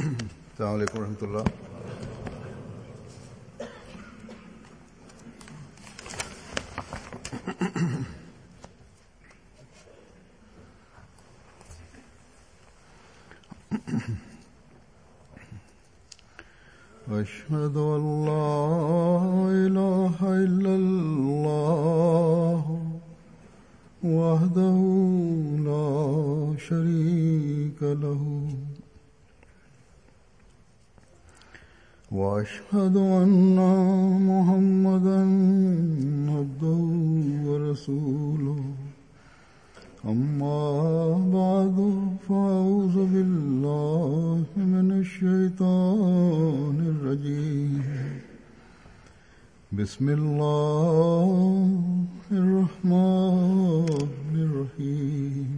السلام عليكم ورحمة الله. أشهد أن لا إله إلا الله وحده لا شريك له وأشهد أن محمدا عبده ورسوله أما بعد فأعوذ بالله من الشيطان الرجيم بسم الله الرحمن الرحيم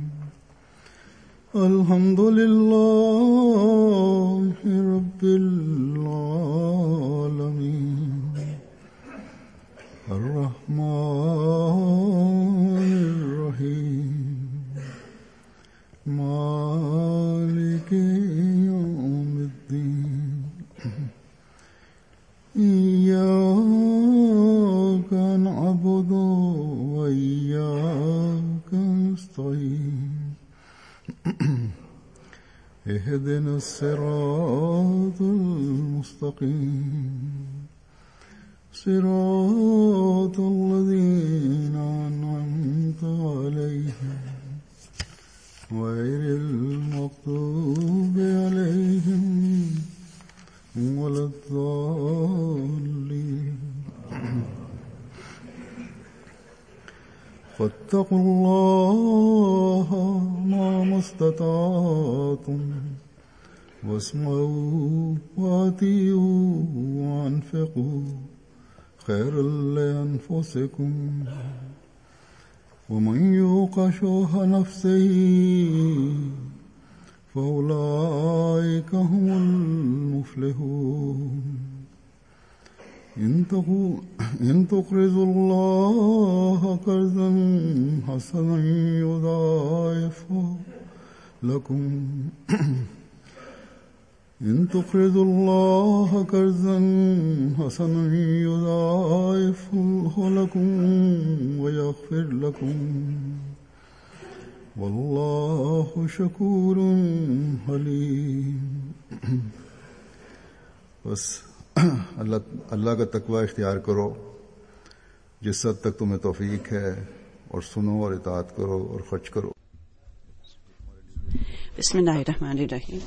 الحمد لله رب العالمين الرحمن الرحيم مالك يوم الدين إياك نعبد وإياك نستعين اهدنا الصراط المستقيم صراط الذين أنعمت عليهم غير المغضوب عليهم ولا الضالين فاتقوا الله ما استطعتم واسمعوا وأطيعوا وأنفقوا خيرا لأنفسكم ومن يوق شح نفسه فأولئك هم المفلحون إن تقرضوا الله قرضا حسنا يضاعفه لكم إن تقرضوا الله قرضا حسنا يضاعفه لكم ويغفر لكم والله شكور حليم. बस अल्लाह का तकवा इख्तियार करो जिस हद तक तुम्हें तौफीक है और सुनो और इताअत करो और खर्च करो. Bismillahirrahmanirrahim.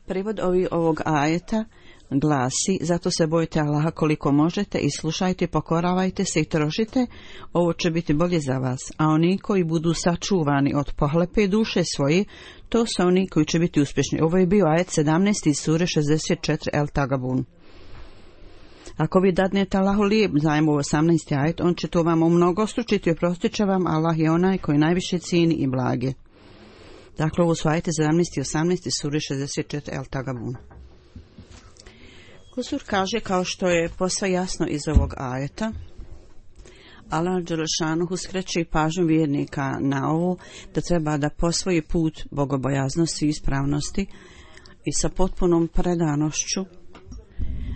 Prevod ovog ajeta glasi: zato se bojite Allaha koliko možete i slušajte, pokoravajte se i trošite, ovo će biti bolje za vas, a oni koji budu sačuvani od pohlepe duše svoje, to su oni koji će biti uspješni. Ovo je bio ajet 17. iz sure 64 El Tagabun. Ako vi dadnete Allahu lijep zajam u 18. ajet, on će to vam umnogostručiti i oprostit će vam. Allah je onaj koji najviše cijeni i blage. Dakle, ovo su ajete 17. i 18. sure 64 El Tagabun. Kusur kaže, kao što je posve jasno iz ovog ajeta, Allah dželešanuhu skreće pažnju vjernika na ovo da treba da posvoji put bogobojaznosti i ispravnosti i sa potpunom predanošću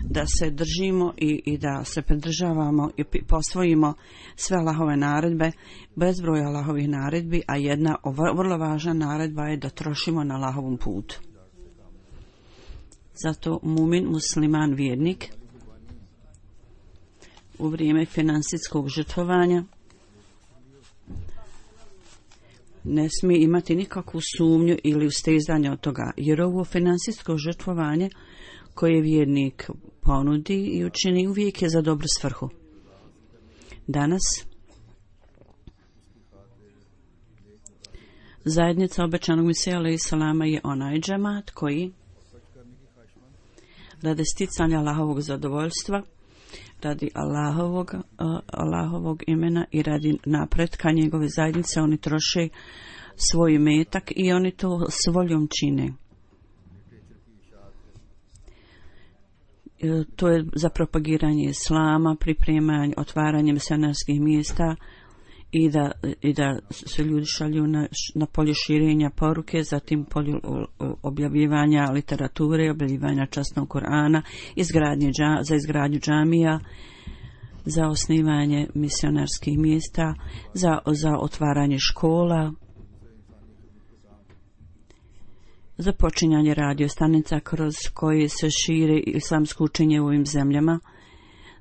da se držimo i da se pridržavamo i posvojimo sve Allahove naredbe, bezbroj Allahovih naredbi, a jedna vrlo važna naredba je da trošimo na Allahovom putu. Zato mumin, musliman, vjernik u vrijeme financijskog žrtvovanja ne smije imati nikakvu sumnju ili ustezanje od toga, jer ovo financijsko žrtvovanje koje vjernik ponudi i učini uvijek je za dobru svrhu. Danas zajednica obećanog Mesija alejhi selama je onaj džemat koji radi sticanja Allahovog zadovoljstva, radi Allahovog imena i radi napretka njegove zajednice, oni troše svoj metak i oni to s voljom čine. To je za propagiranje islama, pripremanje, otvaranje misionarskih mjesta i da se ljudi šalju na polje širenja poruke, zatim polje objavljivanja literature, objavljivanja časnog Kur'ana, za izgradnju džamija, za osnivanje misionarskih mjesta, za otvaranje škola, za počinjanje radiostanica kroz koje se šire islamsko učenje u ovim zemljama,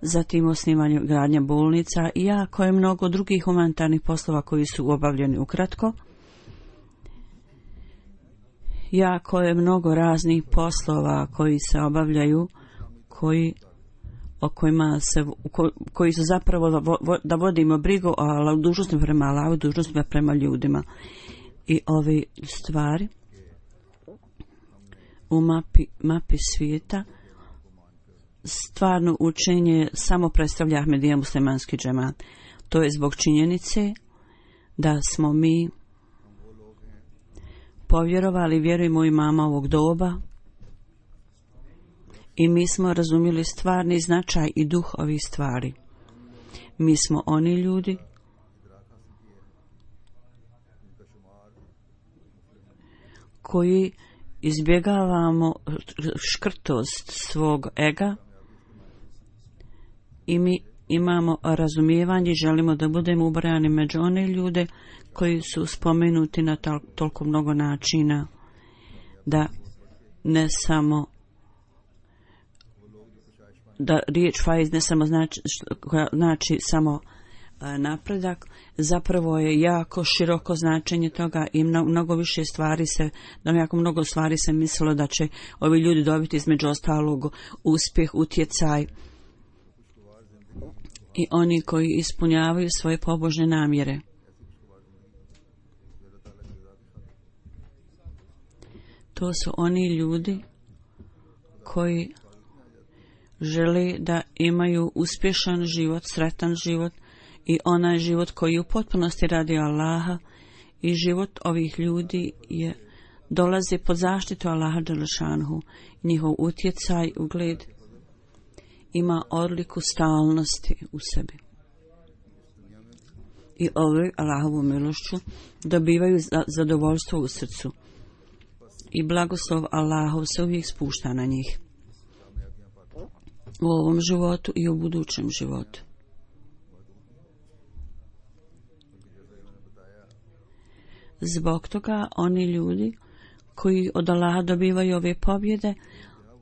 zatim osnivanje gradnja bolnica i jako je mnogo drugih humanitarnih poslova koji su obavljeni ukratko. Jako je mnogo raznih poslova koji se obavljaju, koji su zapravo da vodimo brigu o dužnostima prema Allahu, dužnostima prema ljudima. I ove stvari u mapi svijeta stvarno učenje samo predstavlja Ahmedija muslimanski džemat. To je zbog činjenice da smo mi povjerovali, vjerujemo u imama ovog doba i mi smo razumjeli stvarni značaj i duh ovih stvari. Mi smo oni ljudi koji izbjegavamo škrtost svog ega i mi imamo razumijevanje, želimo da budemo ubrajani među one ljude koji su spomenuti na toliko mnogo načina, da ne samo da riječ faiz ne samo znači samo napredak, zapravo je jako široko značenje toga i mnogo više stvari jako mnogo stvari se mislilo da će ovi ljudi dobiti između ostalog uspjeh, utjecaj i oni koji ispunjavaju svoje pobožne namjere. To su oni ljudi koji žele da imaju uspješan život, sretan život i onaj život koji u potpunosti radi Allaha, i život ovih ljudi dolazi pod zaštitu Allaha dželešanhu. Njihov utjecaj, ugled ima odliku stalnosti u sebi. I ovi Allahovu milošću dobivaju zadovoljstvo u srcu. I blagoslov Allahov se uvijek spušta na njih. U ovom životu i u budućem životu. Zbog toga oni ljudi koji od Allaha dobivaju ove pobjede,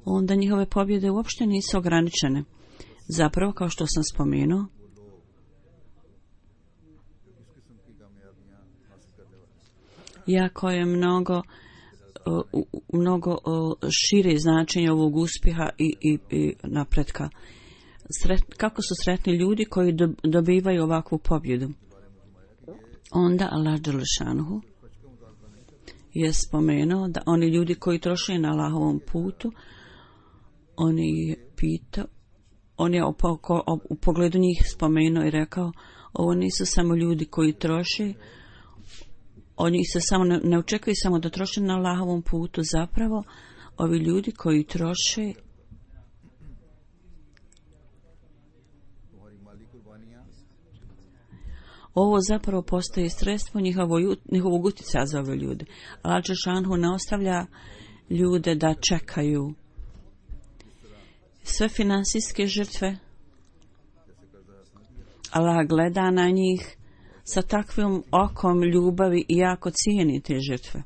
onda njihove pobjede uopšte nisu ograničene. Zapravo, kao što sam spomenuo, jako je mnogo šire značenje ovog uspjeha i napretka. Kako su sretni ljudi koji dobivaju ovakvu pobjedu? Onda Allah dželešanuhu je spomenuo da oni ljudi koji troše na Allahovom putu, on je u pogledu njih spomenuo i rekao, ovo nisu samo ljudi koji troše, oni se samo ne očekuju samo da troše na Allahovom putu, zapravo ovi ljudi koji troše ovo zapravo postaje sredstvo njihovog utjecaja za ove ljude. Allah dželešanhu ne ostavlja ljude da čekaju. Sve finansijske žrtve Allah gleda na njih sa takvim okom ljubavi i jako cijeni te žrtve.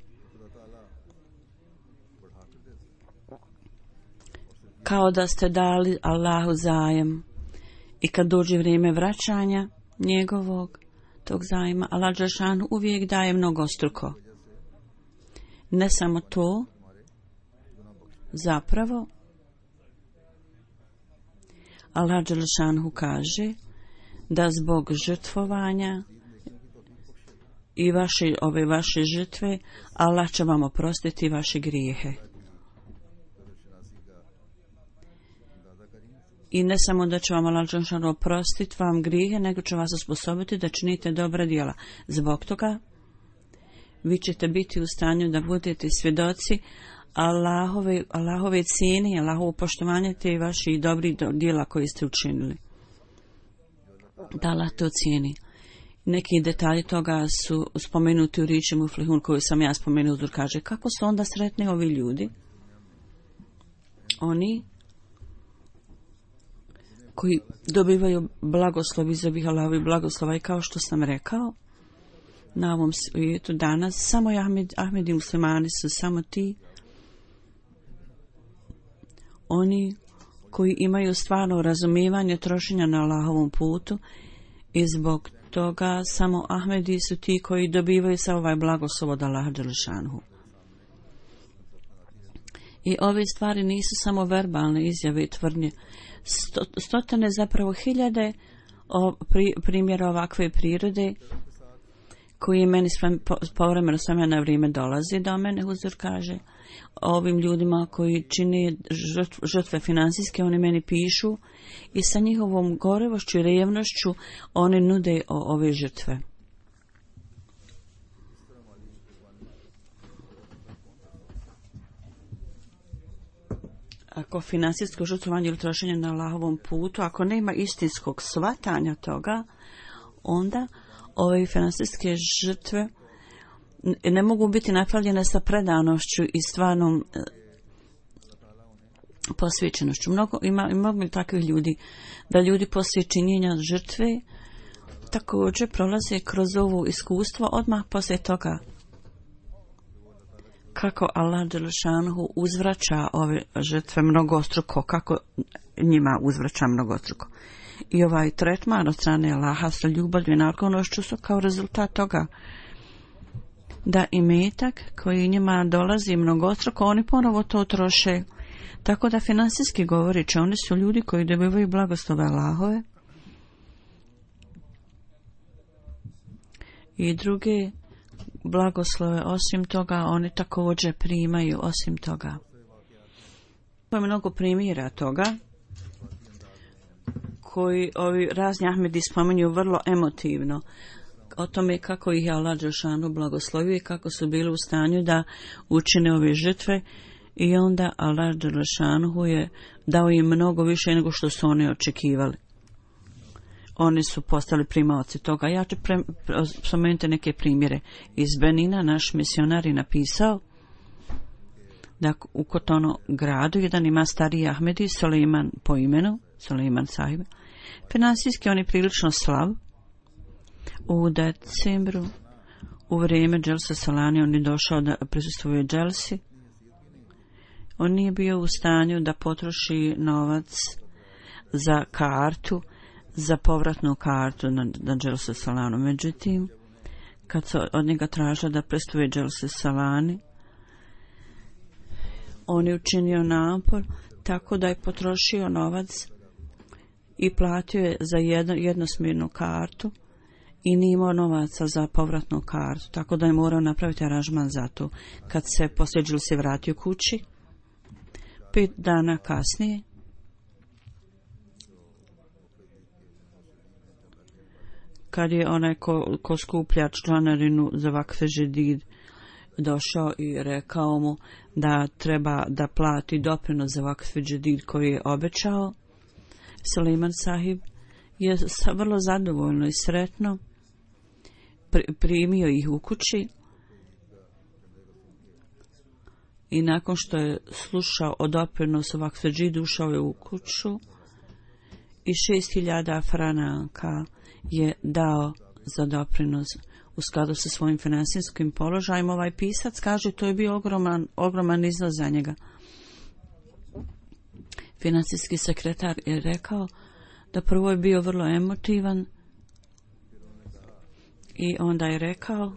Kao da ste dali Allahu zajem i kad dođe vrijeme vraćanja njegovog tog zajma, Allah dželešanhu uvijek daje mnogostruko. Ne samo to, zapravo Allah dželešanhu kaže da zbog žrtvovanja i ove vaše žrtve Allah će vam oprostiti vaše grijehe. I ne samo da će vam Allah dželešanhu oprostiti vam grijehe, nego će vas osposobiti da činite dobra djela. Zbog toga vi ćete biti u stanju da budete svjedoci Allahove cijene, Allahovo poštovanje te vaši dobri djela koji ste učinili. Da Allah to cijeni. Neki detalji toga su spomenuti u riječi Muflihun koju sam ja spomenuo. Kaže, kako su onda sretni ovi ljudi? Oni koji dobivaju blagoslov iz ovih Allahovih blagoslova i kao što sam rekao, na ovom svijetu danas samo Ahmedi muslimani su samo ti oni koji imaju stvarno razumijevanje trošenja na Allahovom putu i zbog toga samo Ahmedi su ti koji dobivaju sa ovaj blagoslov od Allaha dželešanhu. I ove stvari nisu samo verbalne izjave i tvrdnje. Stotine, zapravo hiljade primjera ovakve prirode koji meni povremeno s vremena na vrijeme dolazi do mene. Huzur kaže ovim ljudima koji čine žrtve financijske, oni meni pišu i sa njihovom gorevošću i revnošću oni nude ove žrtve. Ako financijsko žrtvovanje ili trošenje na Allahovom putu, ako nema istinskog shvatanja toga, onda ove financijske žrtve ne mogu biti napravljene sa predanošću i stvarnom posvećenošću. Mnogo takvih ljudi, da ljudi poslije činjenja žrtve također prolaze kroz ovo iskustvo odmah poslije toga. Kako Allah dželešanhu uzvraća ove žrtve mnogostruko, kako njima uzvraća mnogostruko. I ovaj tretman od strane Allaha sa ljubavlju i naklonošću su kao rezultat toga da imetak koji njima dolazi mnogostruko, oni ponovo to troše. Tako da finansijski govorići, oni su ljudi koji dobivaju blagoslove Allahove i druge blagoslove. Osim toga, oni također primaju osim toga. To je mnogo primjera toga koji ovi razni Ahmedi spominju vrlo emotivno o tome kako ih je Allah dželešanu blagoslovio i kako su bili u stanju da učine ove žrtve i onda Allah dželešanu je dao im mnogo više nego što su oni očekivali. Oni su postali primaoci toga. Ja ću spomenuti neke primjere. Iz Benina naš misionar je napisao da u Kotono gradu jedan ima stariji Ahmedi, Suleiman po imenu, Suleiman sahib. Finansijski on je prilično slab. U decembru, u vrijeme Dželse Salani, on je došao da prisustvuje Dželsi. On nije bio u stanju da potroši novac za kartu, za povratnu kartu na Dželse Salanu. Međutim, kad se od njega tražila da prisustvuje Dželse Salani, on je učinio napor tako da je potrošio novac i platio je za jednosmjernu kartu i nije imao novaca za povratnu kartu, tako da je morao napraviti aranžman za to. Kad se poslije se vratio kući, 5 dana kasnije, kad je onaj ko skuplja članarinu za vakfe žedid došao i rekao mu da treba da plati doprinos za vakfe žedid koji je obećao, Suleiman sahib je vrlo zadovoljno i sretno primio ih u kući i nakon što je slušao o doprinosu vakfe žedid ušao je u kuću i 6.000 franaka je dao za doprinos u skladu sa svojim finansijskim položajem. Ovaj pisac kaže to je bio ogroman iznos za njega. Finansijski sekretar je rekao da prvo je bio vrlo emotivan i onda je rekao,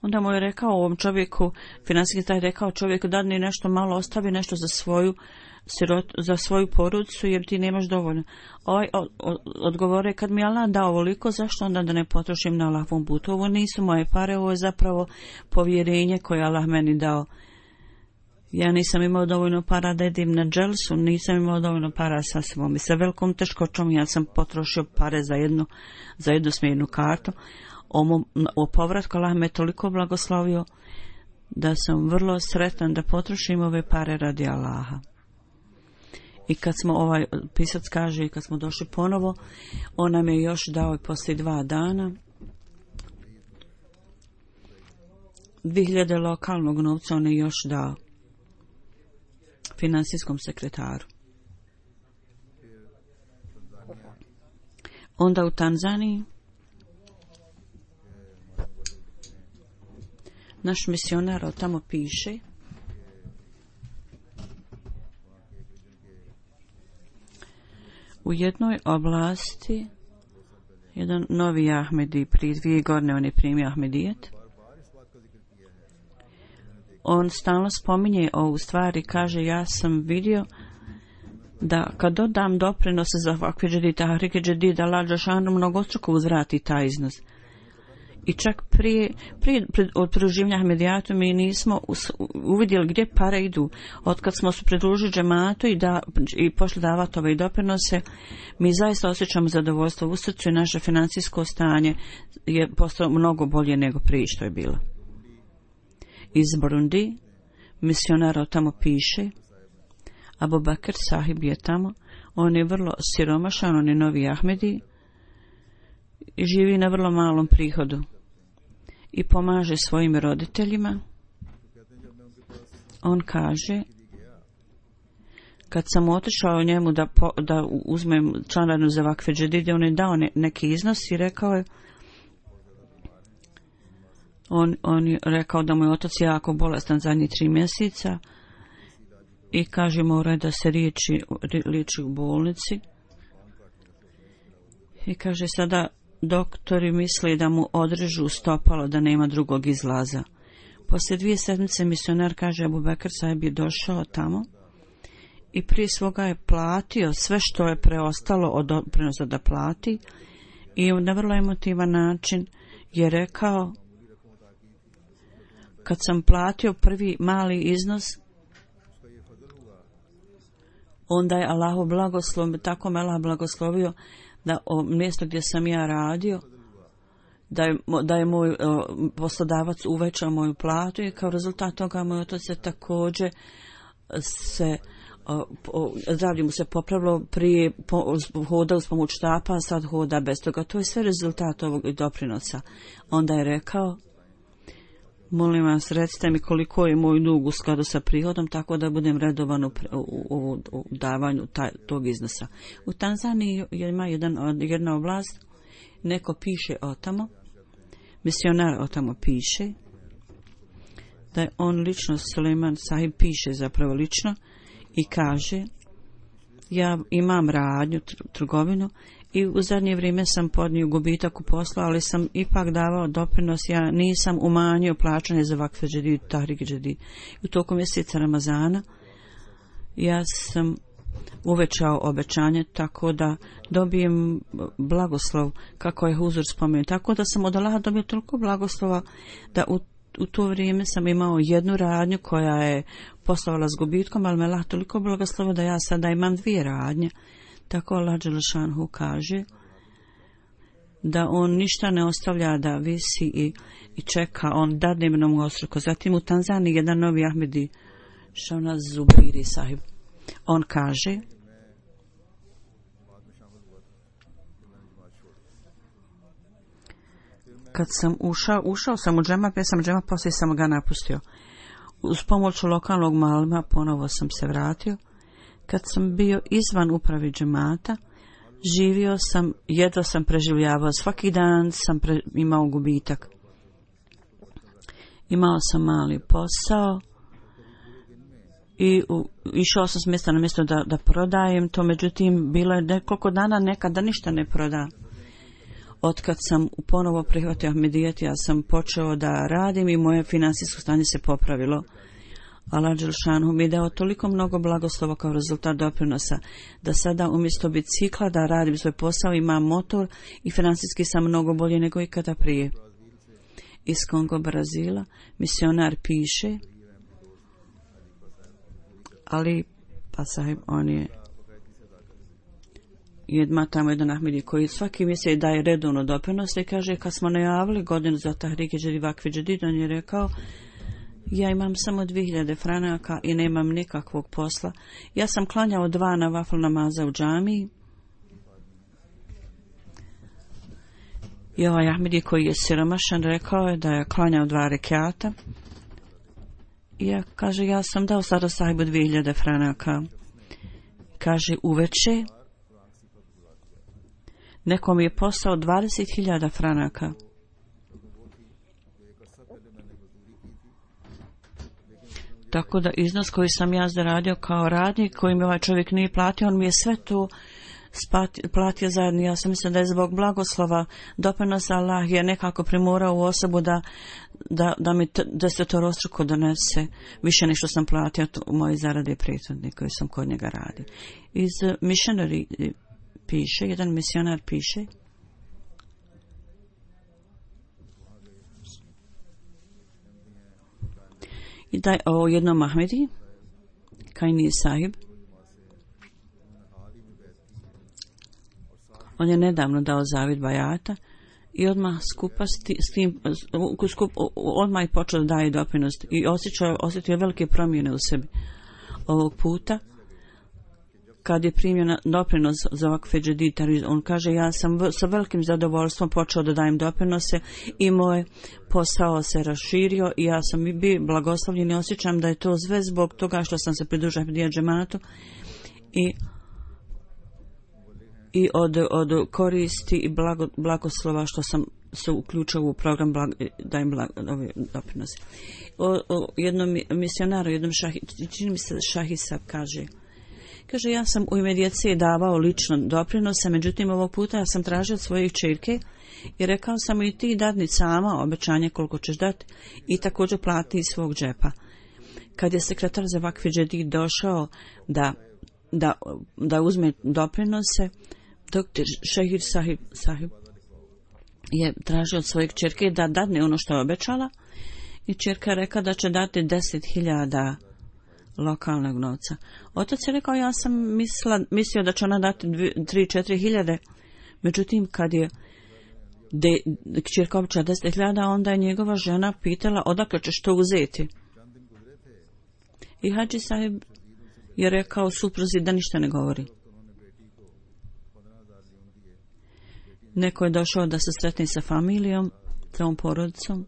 onda mu je rekao ovom čovjeku, finansijski sekretar je rekao čovjeku da ni nešto malo ostavi, nešto za svoju porodicu jer ti nemaš dovoljno. Ovaj odgovore, kad mi Allah dao ovoliko, zašto onda da ne potrošim na Allahovom putu? Ovo nisu moje pare, ovo je zapravo povjerenje koje Allah meni dao. Ja nisam imao dovoljno para da idem na dželsu, nisam imao dovoljno para sa svom i sa velikom teškoćom ja sam potrošio pare za jednosmjernu kartu. O povratku Allah me toliko blagoslovio da sam vrlo sretan da potrošim ove pare radi Allaha. I kad smo, ovaj pisac kaže, kad smo došli ponovo, on nam je još dao poslije 2 dana 2000 lokalnog novca, on je još dao financijskom sekretaru. Onda u Tanzaniji naš misionar tamo piše u jednoj oblasti jedan novi Ahmedi, prije 2 godine on je primio Ahmedijet. On stalno spominje ovu stvar i kaže, ja sam vidio da kad dodam doprinose za ovakve džedid, tahrike džedid, Allah dželešanu mnogostruko uzvrati taj iznos. I čak prije od pridruživanja Ahmedijatu mi nismo uvidjeli gdje pare idu. Otkad smo se pridružili džematu i pošli davati ove doprinose, mi zaista osjećamo zadovoljstvo u srcu i naše financijsko stanje je postalo mnogo bolje nego prije što je bilo. Iz Burundi misionar tamo piše, Abu Bakr sahib je tamo, on je vrlo siromašan, on je novi Ahmedi i živi na vrlo malom prihodu i pomaže svojim roditeljima. On kaže, kad sam otišao njemu da uzmem članarinu za vakfe džedide, on je dao neki iznos i rekao je, on je rekao da mu je otac jako bolestan zadnjih 3 mjeseca i kaže mora da se liječi u bolnici. I kaže sada doktori misle da mu odrežu stopalo, da nema drugog izlaza. Poslije 2 sedmice misionar kaže Abu Bakr sahib je došao tamo i prije svoga je platio sve što je preostalo od doprinosa da plati i na vrlo emotivan način je rekao, kad sam platio prvi mali iznos, onda je Allahu blagoslov, tako me Allah blagoslovio da mjesto gdje sam ja radio, da je moj poslodavac uvećao moju platu i kao rezultat toga moj otac se također zdravlje mu se popravilo, prije hodao s pomoć štapa, a sad hoda bez toga. To je sve rezultat ovog doprinosa. Onda je rekao, molim vas, recite mi koliko je moj dug u skladu sa prihodom, tako da budem redovan u davanju tog iznosa. U Tanzaniji ima jedna oblast, neko piše o tamo, misionar o tamo piše, da je on lično, Suleiman sahib piše zapravo lično i kaže, ja imam radnju, trgovinu, i u zadnje vrijeme sam podnio gubitak u poslu, ali sam ipak davao doprinos, ja nisam umanjio plaćanje za vakfe džedid, tahrike džedid. U toku mjeseca Ramazana ja sam uvećao obećanje tako da dobijem blagoslov, kako je Huzur spomenuo. Tako da sam od Allaha dobio toliko blagoslova da u to vrijeme sam imao jednu radnju koja je poslovala s gubitkom, ali me Allah toliko blagoslovio da ja sada imam 2 radnje. Tako Allah dželešanu kaže da on ništa ne ostavlja da visi i čeka, on dadne mnogostruko. Zatim u Tanzaniji jedan novi Ahmedi, Šavnaz Zubiri sahib, on kaže, kad sam ušao sam u džema, pa sam džema, poslije sam ga napustio. Uz pomoć lokalnog malima ponovo sam se vratio. Kad sam bio izvan upravi džemata, živio sam, jedva sam preživljavao, svaki dan sam imao gubitak. Imao sam mali posao i išao sam s mjesta na mjesto da prodajem to, međutim bilo je nekoliko dana nekada ništa ne proda. Otkad sam ponovo prihvatio Ahmedijet, ja sam počeo da radim i moje financijsko stanje se popravilo. Allah dželešanu mi je dao toliko mnogo blagoslova kao rezultat doprinosa, da sada umjesto bicikla da radim svoj posao, imam motor i financijski sam mnogo bolje nego ikada prije. Iz Kongo, Brazila, misionar piše, ali pa sahib, on je ima tamo jedan Ahmedi koji svaki mjesec daje redovno doprinos i kaže, kad smo najavili godinu za tahrike džedid, vakfe džedid, on je rekao, Ja imam samo 2000 franaka i nemam nikakvog posla. Ja sam klanjao 2 nafil namaza u džamiji. I ovaj Ahmedi koji je siromašan rekao je da je klanjao 2 rekata. I ja kaže, ja sam dao sada sahibu 2000 franaka. Kaže, uveče nekom je poslao 20.000 franaka. Tako da iznos koji sam ja zaradio kao radnik, koji mi ovaj čovjek nije platio, on mi je sve to platio zajedno. Ja sam mislim da je zbog blagoslova doprinosa Allah je nekako primorao u osobu da mi desetorostruko donese više nego što sam platio u moje zarade prethodne koje sam kod njega radio. Iz missionary piše, jedan misionar piše, i da je o jednom Ahmedi, Kaini sahib, on je nedavno dao zavid bajata i odmah odmah je počeo da daje doprinos i osjetio velike promjene u sebi. Ovog puta, kad je primio doprinos za ovak feđeditar, on kaže, ja sam sa velikim zadovoljstvom počeo da dajem doprinose i moj posao se raširio i ja sam bio blagoslovljen i osjećam da je to sve zbog toga što sam se pridružio Ahmedija džematu i od koristi i blagoslova što sam se uključio u program dajem doprinose. O jednom misionaru, čini mi se Šahisa kaže, ja sam u ime djece davao lično doprinose, međutim ovog puta ja sam tražio od svojih čerke i rekao sam i ti dadni sama obećanje koliko ćeš dati i također plati iz svog džepa. Kad je sekretar za vakfi džedid došao da uzme doprinose, doktor Šehir sahib je tražio od svojih čerke da dadne ono što je obećala i čerka je rekla da će dati 10.000 lokalnog novca. Otac je rekao, ja sam mislio da će ona dati 3-4 hiljade, međutim kad je kćerka obećala 10.000, onda je njegova žena pitala odakle ćeš to uzeti. I Hadži sahib je rekao supruzi da ništa ne govori. Neko je došao da se sretne sa familijom, sa ovom porodicom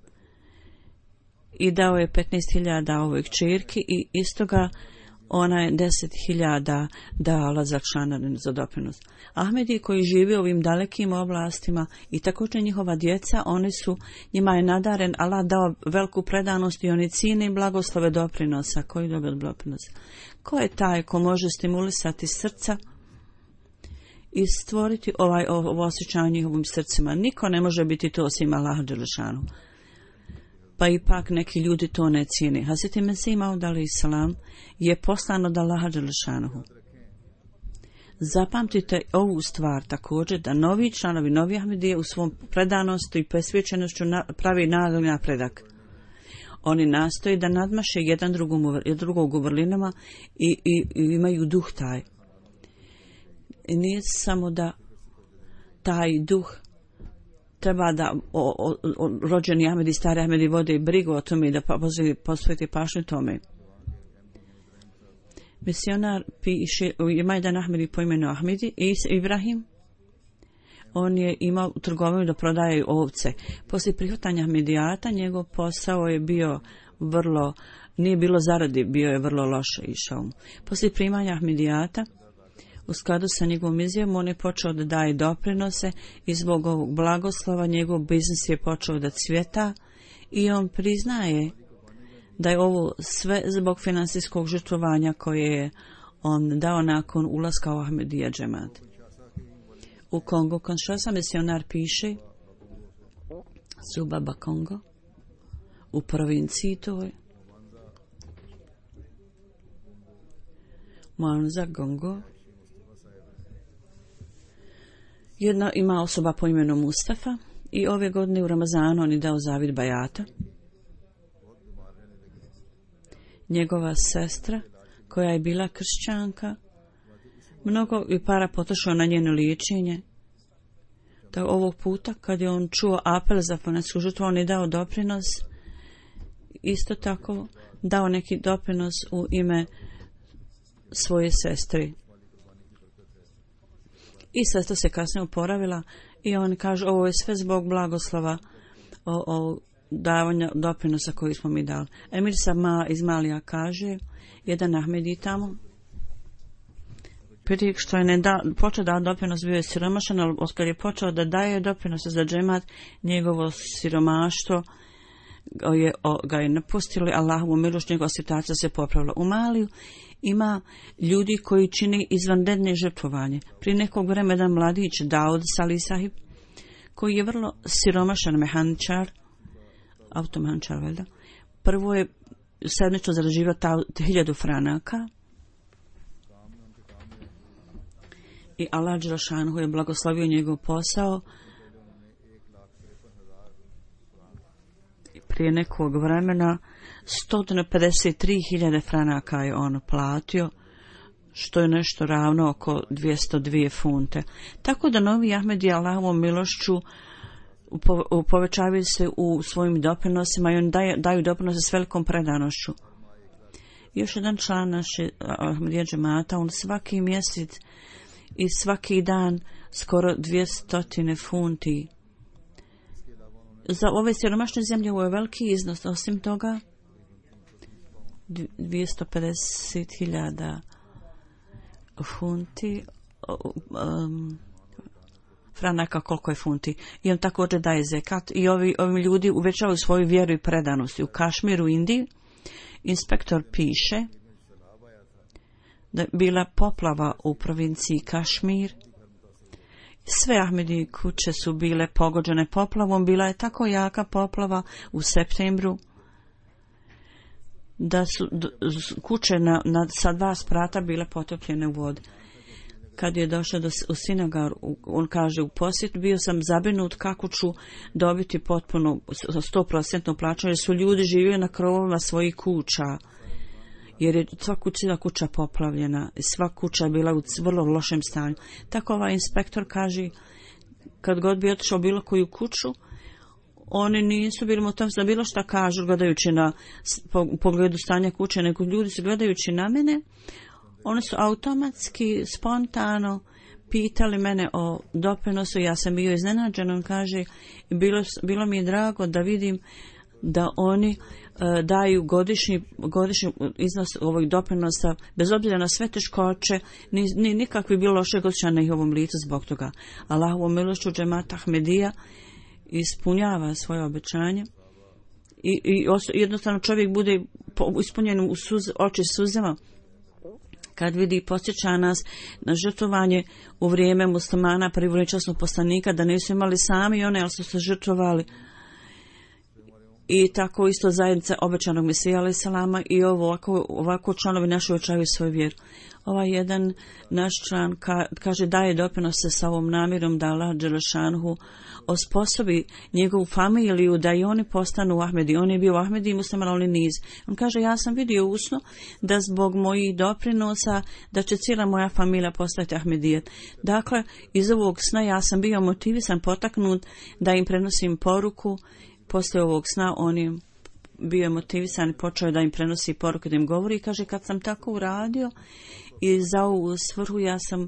i dao je 15.000 ovoj kćerki i istoga ona je 10.000 dala za članarinu za doprinos. Ahmedi koji živi u ovim dalekim oblastima i također njihova djeca, njima je nadaren Allah dao veliku predanost i oni cijene i blagoslove doprinosa. Koji dobio doprinosa? Ko je taj ko može stimulisati srca i stvoriti ovo osjećanje njihovim srcima? Niko ne može biti to osim Allaha dželešanu. Pa ipak neki ljudi to ne cijene. Hazreti Mesih Maud alejhi selam je poslan od Allaha dželešanu. Zapamtite ovu stvar također, da novi članovi, novi Ahmedije u svom predanosti i posvećenošću pravi nagli napredak. Oni nastoje da nadmaše jedan drugog u vrlinama i imaju duh taj. I nije samo da taj duh treba da rođeni Ahmedi, stari Ahmedi vode brigu o tome i da posveti pažnju tome. Misionar piše, ima jedan Ahmedi po imenu Ahmedi, Ibrahim. On je imao trgovinu da prodaje ovce. Poslije prihvatanja Ahmedijata njegov posao je bio nije bilo zaradi, bio je vrlo loše išao. Poslije primanja Ahmedijata, u skladu sa njegovom izjavom, on je počeo da daje doprinose i zbog ovog blagoslova njegov biznis je počeo da cvjeta i on priznaje da je ovo sve zbog financijskog žrtvovanja koje je on dao nakon ulaska u Ahmedija džemat. U Kongo, Kinshasa, misionar piše, Subaba Kongo, u provinciji toj, Mwanza Gongo, jedna ima osoba po imenu Mustafa i ove godine u Ramazanu on je dao zavid bajata. Njegova sestra, koja je bila kršćanka, mnogo je para potrošio na njeno liječenje. Da ovog puta, kad je on čuo apel za financijsku žrtvu, on je dao doprinos isto tako dao neki doprinos u ime svoje sestri. I sestra se kasnije oporavila i on kaže ovo je sve zbog blagoslova o davanja doprinosa koji smo mi dali. Emir Sama iz Malija kaže, jedan Ahmedi tamo, prije što je počeo da doprinos bio je siromašan, ali oskad je počeo da daje doprinose za džemat, njegovo siromaštvo ga je napustilo, Allahovu milošću, njegova situacija se popravila. U Maliju ima ljudi koji čini izvanredne žrtvovanje. Prije nekog vremena jedan mladić Daud Salih Sahib, koji je vrlo siromašan mehaničar, automehaničar, valjda, prvo je sedmično zarađivao 1000 franaka i Allah Đelešanu je blagoslovio njegov posao. Prije nekog vremena 153.000 franaka je on platio, što je nešto ravno oko 202 funte. Tako da novi Ahmedi Allahovom milošću povećavaju se u svojim doprinosima i oni daju doprinose s velikom predanošću. Još jedan član naše Ahmedija džemata, on svaki mjesec i svaki dan skoro 200 funti. Za ove siromašne zemlje ovo je veliki iznos. Osim toga 250.000 funti, franaka, koliko je funti. I on također daje zekat i ovi ljudi uvećavaju svoju vjeru i predanost. U Kašmiru, Indiji, inspektor piše da je bila poplava u provinciji Kašmir. Sve Ahmedi kuće su bile pogođene poplavom. Bila je tako jaka poplava u septembru da su kuće sa 2 sprata bile potopljene u vodi. Kad je došao u sinagogu, on kaže u posjet, bio sam zabrinut kako ću dobiti potpuno 100% plaćanje, jer su ljudi živjeli na krovovima svojih kuća, jer je sva kuća poplavljena, sva kuća je bila u vrlo lošem stanju. Tako ovaj inspektor kaže, kad god bi otišao bilo koju kuću, oni nisu bili motiv da bilo šta kažu gledajući na pogledu stanja kuće, nego ljudi su gledajući na mene, oni su automatski, spontano pitali mene o doprinosu. Ja sam bio iznenađen, on kaže, bilo mi je drago da vidim da oni daju godišnji iznos ovog doprinosa, bez obzira na sve teškoće, nikakvi bilo lošeg osjećaja na njihovom licu zbog toga. Allahovom milošću džemat Ahmedija ispunjava svoje obećanje i jednostavno čovjek bude ispunjen u oči suzama kad vidi i podsjeća nas na žrtvovanje u vrijeme muslimana prvoličasnog poslanika, da nisu imali sami one, ali su se žrtvovali. I tako isto zajednica obećanog Mesija alejhi selama i ovako članovi naši očavaju svoju vjeru. Ovaj jedan naš član kaže daje doprinose sa ovom namjerom da Allah Đelešanhu osposobi njegovu familiju da i oni postanu Ahmedi. On je bio Ahmedi i musliman, ali niz. On kaže, ja sam vidio usno da zbog mojih doprinosa da će cijela moja familija postati Ahmedijet. Dakle, iz ovog sna ja sam bio motivisan, potaknut da im prenosim poruku. Poslije ovog sna on je bio motivisan i počeo da im prenosi poruku, da im govori. I kaže, kad sam tako uradio i za ovu svrhu ja sam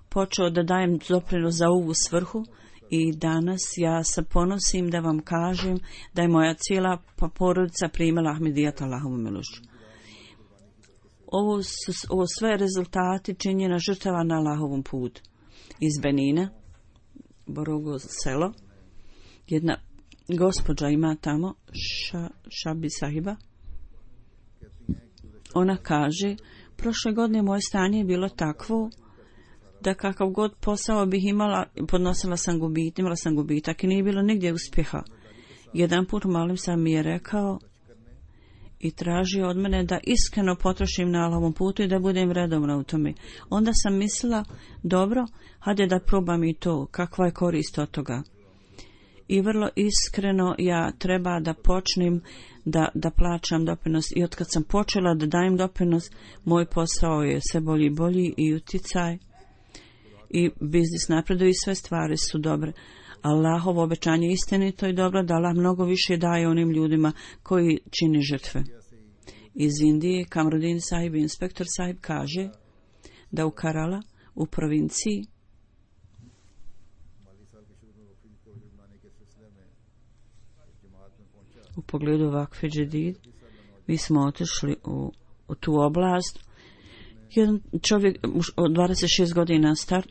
počeo da dajem doprinos za ovu svrhu i danas ja se ponosim da vam kažem da je moja cijela porodica primala Ahmedijat Allahovom milošću. Ovo sve rezultati činjena žrtava na Allahovom putu. Iz Benina, Borogo selo, jedna gospođa ima tamo, Šabi Sahiba. Ona kaže, prošle godine moje stanje je bilo takvo da kakav god posao bih imala, imala sam gubitak i nije bilo nigdje uspjeha. Jedan put malim sam mi je rekao i tražio od mene da iskreno potrošim na Allahovom putu i da budem redovna u tome. Onda sam mislila, dobro, hajde da probam i to, kakva je korist od toga. I vrlo iskreno ja treba da počnem da plaćam doprinos. I otkad sam počela da dajem doprinos, moj posao je sve bolji i bolji i uticaj. I biznis napreduje i sve stvari su dobre. Allahovo obećanje istinito i dobro, da Allah mnogo više daje onim ljudima koji čine žrtve. Iz Indije Kamruddin Sahib, inspektor Sahib, kaže da u Kerala, u provinciji, u pogledu Vakfe Jadid, mi smo otišli u tu oblast. Jedan čovjek od 26 godina star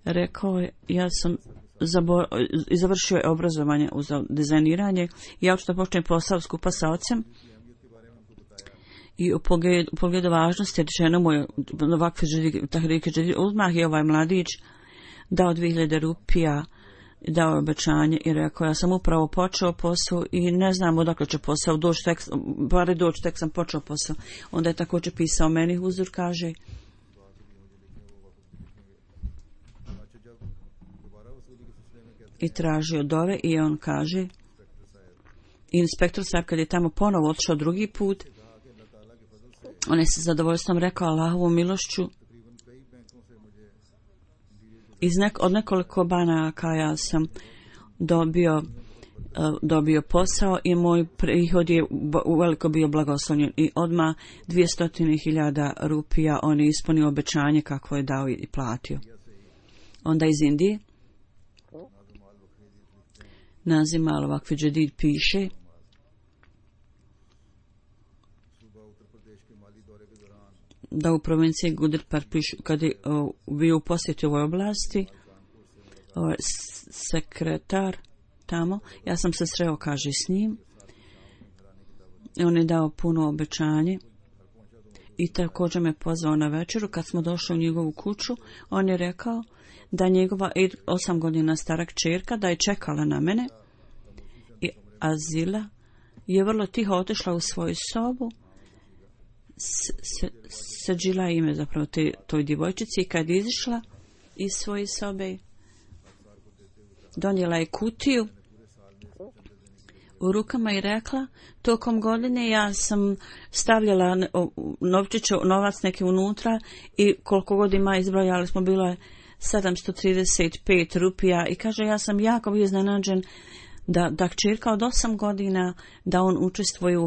rekao je, ja sam završio je obrazovanje za dizajniranje, ja hoću da počnem posao skupa sa ocem i u pogledu važnosti rečeno mu je Vakfe Jadid, odmah je ovaj mladić dao 2000 rupija, dao obećanje i rekao, ja sam upravo počeo posao i ne znam odakle će posao doći, tek sam počeo posao. Onda je također pisao meni Huzur, kaže, i tražio dove i on kaže, inspektor Sahib kad je tamo ponovo otišao drugi put, on je sa zadovoljstvom rekao, Allahovom milošću, od nekoliko banaka ja sam dobio posao i moj prihod je uveliko bio blagoslovljen i odmah 200.000 rupija on je ispunio obećanje kako je dao i platio. Onda iz Indije Nazim al-Vakfe Jadid piše da u provinciji Gudirpar kad je bio u posjeti u ovoj oblasti, sekretar tamo, ja sam se sreo, kaže, s njim, on je dao puno obećanje i također me pozvao na večeru. Kad smo došli u njegovu kuću, on je rekao da njegova 8 godina stara kćerka da je čekala na mene i Azila je vrlo tiho otišla u svoju sobu. Sađila ime zapravo toj djevojčici i kad izišla iz svoje sobe donijela je kutiju u rukama i rekla, tokom godine ja sam stavljala novac neki unutra i koliko god ima izbrojali smo, bilo je 735 rupija i kaže, ja sam jako bio iznenađen da kćerka od 8 godina da on učestvuje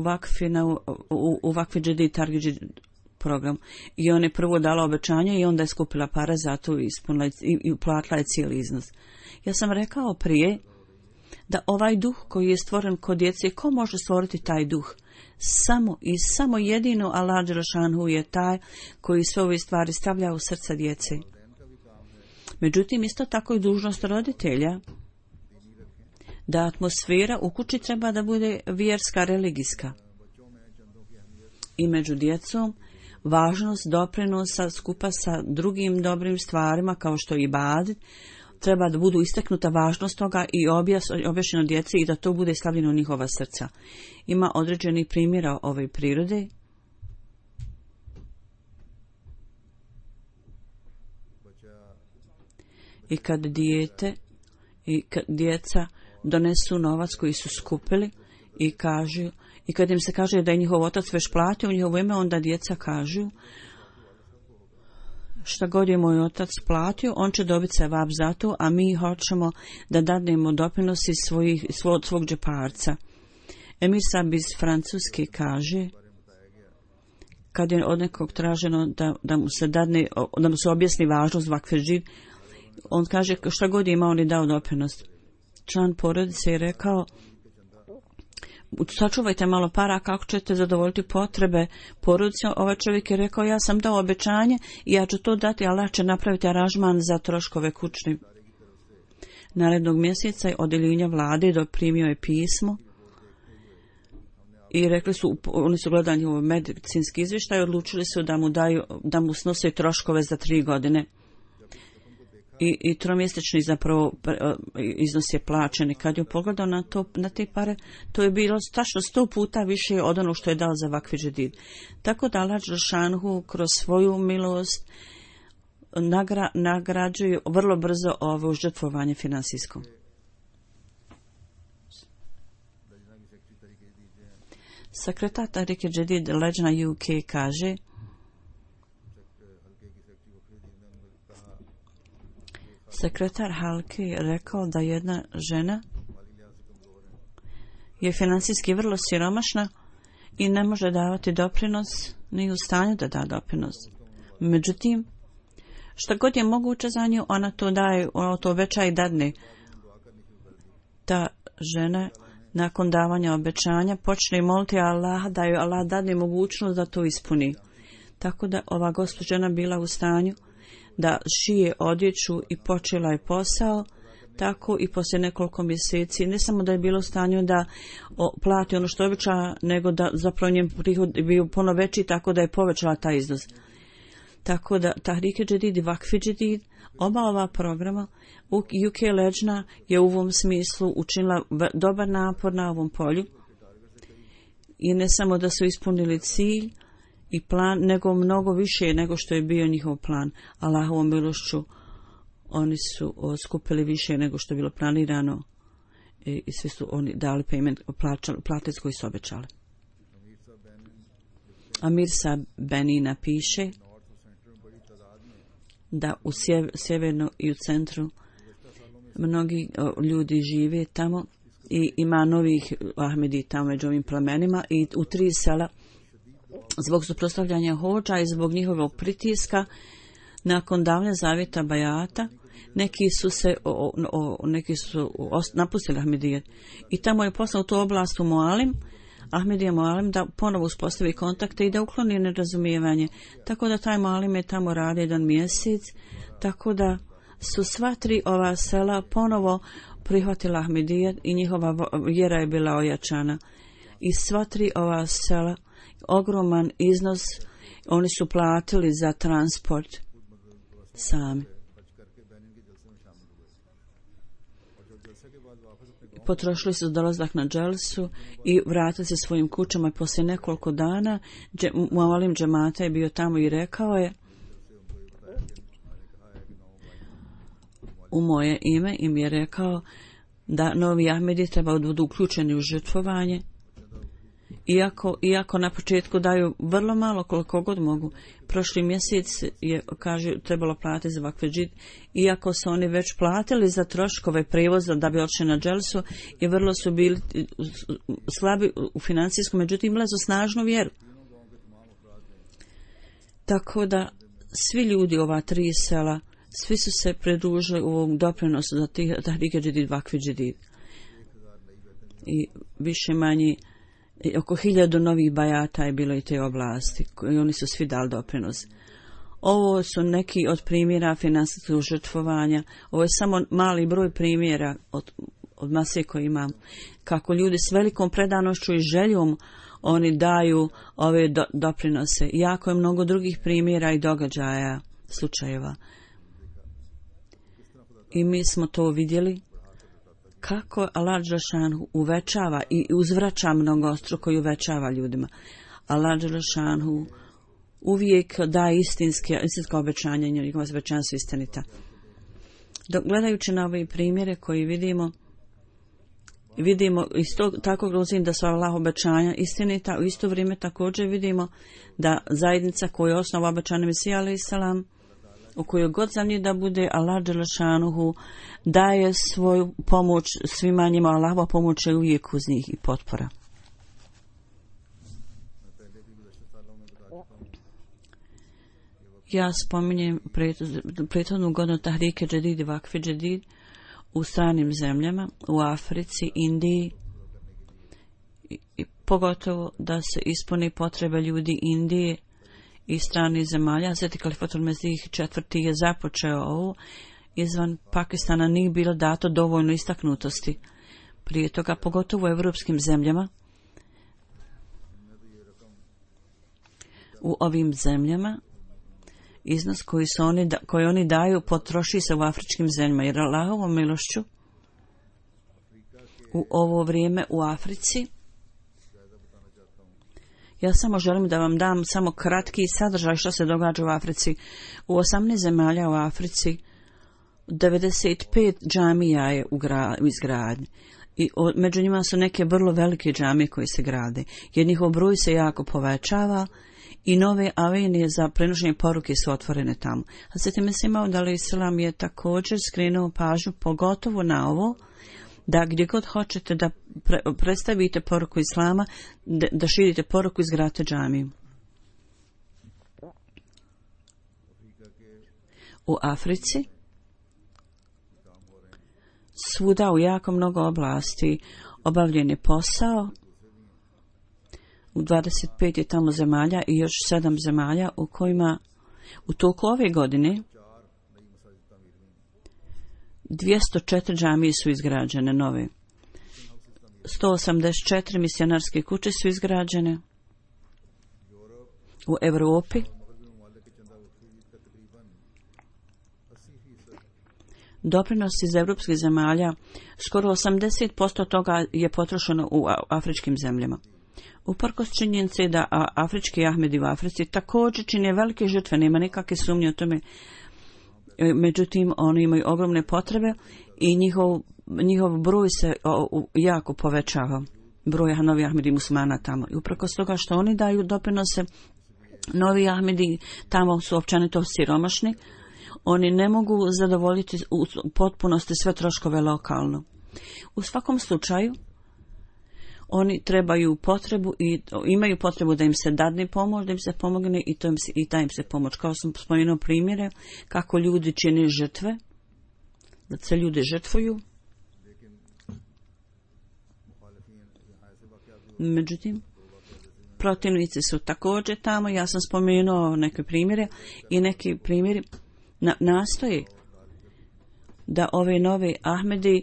u Vakfe Jadid Target program. I on je prvo dala obećanje i onda je skupila pare za to i platila je cijeli iznos. Ja sam rekao prije da ovaj duh koji je stvoren kod djece, ko može stvoriti taj duh? Samo jedino Allah Đelešanu je taj koji sve ove stvari stavlja u srca djece. Međutim, isto tako i dužnost roditelja da atmosfera u kući treba da bude vjerska, religijska. I među djecom važnost doprinosa skupa sa drugim dobrim stvarima kao što je ibadet, treba da budu istaknuta važnost toga i objašnjeno djeci i da to bude stavljeno u njihova srca. Ima određeni primjera ove prirode. I kad djeca donesu novac koji su skupili i kažu, i kad im se kaže da je njihov otac već platio u njihovo ime, onda djeca kažu, šta god je moj otac platio, on će dobiti sevap za to, a mi hoćemo da dadnemo doprinos iz svog džeparca. Emir Sahib iz Francuske kaže, kad je od nekog traženo da mu se dadne, da mu se objasni važnost Vakfe Jadid, on kaže šta god ima, on je dao doprinos. Član porodice je rekao, sačuvajte malo para kako ćete zadovoljiti potrebe porodice. Ovaj čovjek je rekao, ja sam dao obećanje i ja ću to dati, Allah će napraviti aranžman za troškove kućne. Narednog mjeseca odjeljenja vlade doprimio je pismo i rekli su, oni su gledali njihov medicinski izvještaj i odlučili su da mu snose troškove za 3 godine. I tromjesečni zapravo iznos je plaćen. I kad je pogledao na te pare, to je bilo tačno 100 puta više od onog što je dao za Vakfe Jadid. Tako da Allah Đelešanu kroz svoju milost nagrađuje vrlo brzo ovo žrtvovanje finansijsko. Sekretar Tarike Jadid Lejna UK kaže, Sekretar Halke je rekao da jedna žena je financijski vrlo siromašna i ne može davati doprinos, nije u stanju da da doprinos. Međutim, šta god je moguće za nju, ona to daje, ona to obeća i dadne. Ta žena nakon davanja obećanja počne moliti Allah da joj Allah dadne mogućnost da to ispuni. Tako da ova gospođa bila u stanju da šije odjeću i počela je posao, tako i poslije nekoliko mjeseci, ne samo da je bilo u stanju da plati ono što obeća, nego da zapravo njen prihod bio puno veći, tako da je povećala taj iznos. Tako da Tahrik Jadid i Vakf Jadid, oba ova programa, UK Leđna je u ovom smislu učinila dobar napor na ovom polju i ne samo da su ispunili cilj i plan, nego mnogo više nego što je bio njihov plan. Allahovom milošću oni su skupili više nego što je bilo planirano i svi su oni dali payment, platili koji su obećali. Amirsa Benina piše da u sjeverno i u centru mnogi ljudi žive tamo i ima novih Ahmedi tamo među ovim plemenima i u 3 sela zbog suprotstavljanja hodža i zbog njihovog pritiska nakon davne zavjeta bajata neki su napustili Ahmedijet i tamo je poslao tu oblast u Mualim, Ahmedija Mualim, da ponovo uspostavi kontakte i da ukloni nerazumijevanje. Tako da taj Mualim je tamo radi 1 mjesec, tako da su sva 3 ova sela ponovo prihvatila Ahmedijet i njihova vjera je bila ojačana. I sva 3 ova sela, ogroman iznos, oni su platili za transport sami. Potrošili su dolazak na dželsu i vratili se svojim kućama poslije nekoliko dana. Mualim džemata je bio tamo i rekao je u moje ime im je rekao da novi Ahmedi treba budu uključeni u žrtvovanje. Iako na početku daju vrlo malo koliko god mogu. Prošli mjesec je, kaže, trebalo platiti za Vakf Jadid, iako su oni već platili za troškove prevoza da bi odšli na dželsu i vrlo su bili slabi u financijskom, međutim imali su snažnu vjeru. Tako da svi ljudi ova 3 sela, svi su se pridružili u ovom doprinosu za Tahrik Jadid, Vakf Jadid. I više manje oko 1000 novih bajata je bilo i te oblasti i oni su svi dali doprinos. Ovo su neki od primjera finansijskog žrtvovanja. Ovo je samo mali broj primjera od mase koje imam. Kako ljudi s velikom predanošću i željom oni daju ove doprinose. Jako je mnogo drugih primjera i događaja, slučajeva. I mi smo to vidjeli. Kako Allah Đelešanu uvećava i uzvraća mnogostruko i uvećava ljudima. Allah Đelešanu uvijek daje istinska obećanja i njegova obećanja su istinita. Dok gledajući na ove primjere koji vidimo isto tako grozim da su Allah obećanja istinita, u isto vrijeme također vidimo da zajednica koja je osnova obećanja Mesija alejhi selam, u kojoj god zemlji da bude, Allah Đelešanuhu daje svoju pomoć svima njima, Allahova pomoć je uvijek uz njih i potpora. Ja spominjem prethodnu godinu Tahrik Jadid i Vakf Jadid u stranim zemljama, u Africi, Indiji, i pogotovo da se ispuni potrebe ljudi Indije i stranih zemalja. Sveti Kalifatul Mesih IV. Je započeo ovo. Izvan Pakistana nije bilo dato dovoljno istaknutosti. Prije toga, pogotovo u evropskim zemljama, u ovim zemljama, iznos koji oni daju potroši se u afričkim zemljama. Jer Allahovom milošću u ovo vrijeme u Africi, ja samo želim da vam dam samo kratki sadržaj što se događa u Africi. U 18 zemalja u Africi 95 džamija je u izgradnji. I među njima su neke vrlo velike džamije koje se grade. Jer njihov broj se jako povećava i nove avenije za prenošenje poruke su otvorene tamo. Hazret Mesih Maud alejhi selam je također skrenuo pažnju pogotovo na ovo, da gdje god hoćete da predstavite poruku Islama, da širite poruku, izgradite džamiju. U Africi svuda u jako mnogo oblasti obavljen je posao. U 25 je tamo zemalja i još 7 zemalja u kojima u toku ove godine 204 džamije su izgrađene nove. 184 misionarske kuće su izgrađene. U Europi doprinos iz evropskih zemalja, skoro 80% toga je potrošeno u afričkim zemljama. Uprkos činjenice da afrički Ahmedi u Africi također čine velike žrtve, nema nikakve sumnje o tome, međutim oni imaju ogromne potrebe i njihov broj se jako povećava, broj novi Ahmedi muslimana tamo. I uprkos toga što oni daju doprinose, novi Ahmedi tamo su općenito siromašni, oni ne mogu zadovoljiti u potpunosti sve troškove lokalno. U svakom slučaju, oni trebaju potrebu i imaju potrebu da im se dadne pomoć, da im se pomogne i da im se pomoć. Kao sam spomenuo primjere kako ljudi čine žrtve, da se ljudi žrtvuju. Međutim, protivnici su također tamo. Ja sam spomenuo neke primjere i neki primjeri nastoji da ove nove Ahmedi